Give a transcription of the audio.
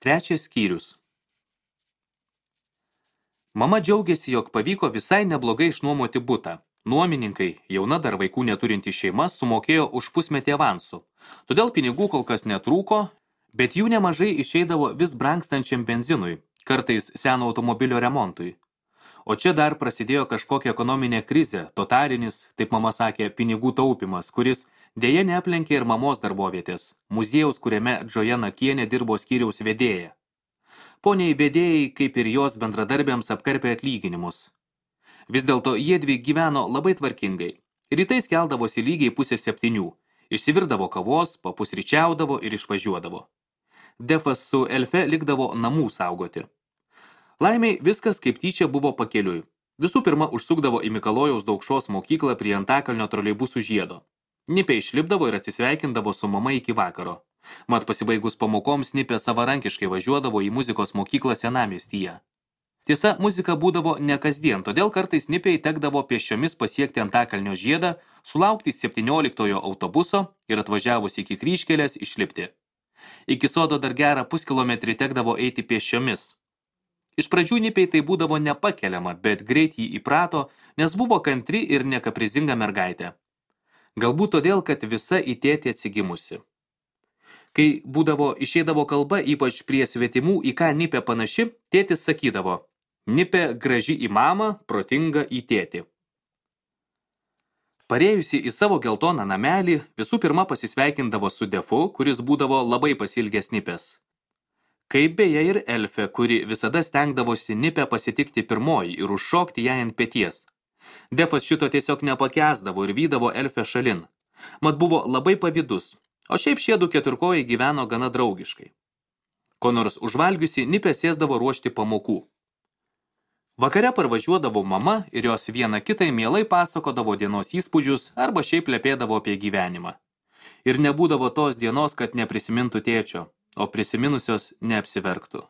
Trečias skyrius. Mama džiaugiasi, jog pavyko visai neblogai išnuomoti butą. Nuomininkai, jauna dar vaikų neturinti šeima, sumokėjo už pusmetį avansų. Todėl pinigų kol kas netrūko, bet jų nemažai išeidavo vis brangstančiam benzinui, kartais seno automobilio remontui. O čia dar prasidėjo kažkokia ekonominė krizė, totalinis, taip mama sakė, pinigų taupimas, kuris dėja neaplenkė ir mamos darbovietės, muziejaus, kuriame Džoja Nakienė dirbo skyriaus vedėja. Poniai vedėjai, kaip ir jos bendradarbiams, apkarpė atlyginimus. Vis dėlto jiedvi gyveno labai tvarkingai. Rytais keldavosi lygiai 6:30, išsivirdavo kavos, papusryčiaudavo ir išvažiuodavo. Defas su Elfe likdavo namų saugoti. Laimiai viskas kaip tyčia buvo pakeliui. Visų pirma užsukdavo į Mikalojaus Daukšos mokyklą prie Antakalnio troleibusų žiedo. Nipė išlipdavo ir atsisveikindavo su mama iki vakaro. Mat pasibaigus pamokoms Nipė savarankiškai važiuodavo į muzikos mokyklą Senamiestyje. Tiesa, muzika būdavo ne kasdien, todėl kartais Nipei tekdavo pėsčiomis pasiekti Antakalnio žiedą, sulaukti 17 autobuso ir atvažiavus iki kryžkelės išlipti. Iki sodo dar gerą puskilometrį tekdavo eiti pėsčiomis. Iš pradžių Nipei tai būdavo nepakeliama, bet greit jį įprato, nes buvo kantri ir nekaprizinga mergaitė. Galbūt todėl, kad visa į tėtį atsigimusi. Kai išeidavo kalba, ypač prie svetimų, į ką Nipė panaši, tėtis sakydavo: Nipė graži į mamą, protinga į tėtį. Parėjusi į savo geltoną namelį, visų pirma pasisveikindavo su Defu, kuris būdavo labai pasilgęs Nipės. Kaip beje ir Elfe, kuri visada stengdavosi Nipę pasitikti pirmoji ir užšokti ją ant peties. Defas šito tiesiog nepakęsdavo ir vydavo Elfę šalin. Mat buvo labai pavydus, o šiaip šiedu keturkojai gyveno gana draugiškai. Ko nors užvalgiusi, Nipė sėsdavo ruošti pamokų. Vakare parvažiuodavo mama ir jos viena kitai mielai pasakodavo dienos įspūdžius arba šiaip lepėdavo apie gyvenimą. Ir nebūdavo tos dienos, kad neprisimintų tėčio, o prisiminusios neapsiverktų.